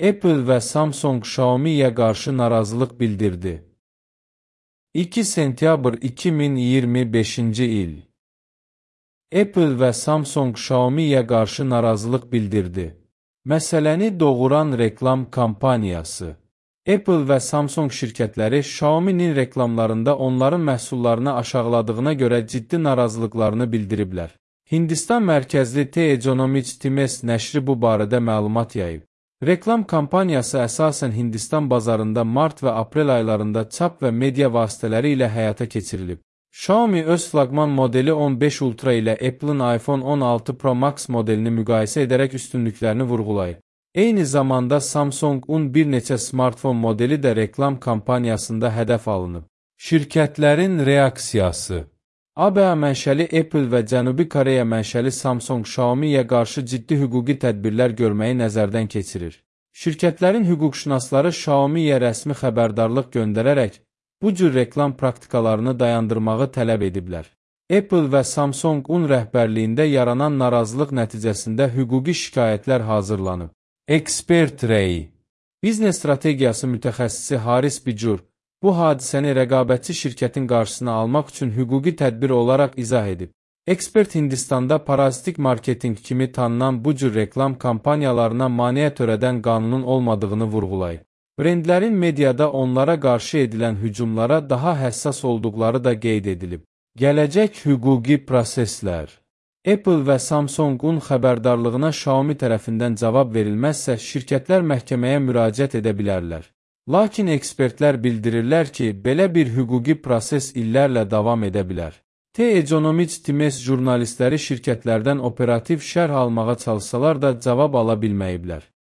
Apple və Samsung Xiaomi'yə qarşı narazılıq bildirdi. 2 sentyabr 2025-ci il. Apple və Samsung Xiaomi'yə qarşı narazılıq bildirdi. Məsələni doğuran reklam kampaniyası. Apple və Samsung şirkətləri Xiaomi'nin reklamlarında onların məhsullarını aşağıladığına görə ciddi narazılıqlarını bildiriblər. Hindistan mərkəzli The Economist Times nəşri bu barədə məlumat yayıb. Reklam kampaniyası əsasən Hindistan bazarında mart və aprel aylarında çap və media vasitələri ilə həyata keçirilib. Xiaomi öz flaqman modeli 15 Ultra ilə Apple'ın iPhone 16 Pro Max modelini müqayisə edərək üstünlüklərini vurğulayıb. Eyni zamanda Samsung-un bir neçə smartfon modeli də reklam kampaniyasında hədəf alınıb. Şirkətlərin reaksiyası. ABŞ mənşəli Apple və Cənubi Koreya mənşəli Samsung Xiaomi'yə qarşı ciddi hüquqi tədbirlər görməyi nəzərdən keçirir. Şirkətlərin hüquqşünasları Xiaomi'yə rəsmi xəbərdarlıq göndərərək bu cür reklam praktikalarını dayandırmağı tələb ediblər. Apple və Samsung-un rəhbərliyində yaranan narazılıq nəticəsində hüquqi şikayətlər hazırlanıb. Ekspert rəyi. Biznes strategiyası mütəxəssisi Haris Bicur bu hadisəni rəqabətçi şirkətin qarşısına almaq üçün hüquqi tədbir olaraq izah edib. Ekspert Hindistanda parazitik marketinq kimi tanınan bu cür reklam kampaniyalarına maneə törədən qanunun olmadığını vurğulayıb. Brendlərin mediada onlara qarşı edilən hücumlara daha həssas olduqları da qeyd edilib. Gələcək hüquqi proseslər. Apple və Samsung-un xəbərdarlığına Xiaomi tərəfindən cavab verilməzsə, şirkətlər məhkəməyə müraciət edə bilərlər. Lakin ekspertlər bildirirlər ki, belə bir hüquqi proses illərlə davam edə bilər. The Economist Times jurnalistləri şirkətlərdən operativ şərh almağa çalışsalar da cavab ala bilməyiblər.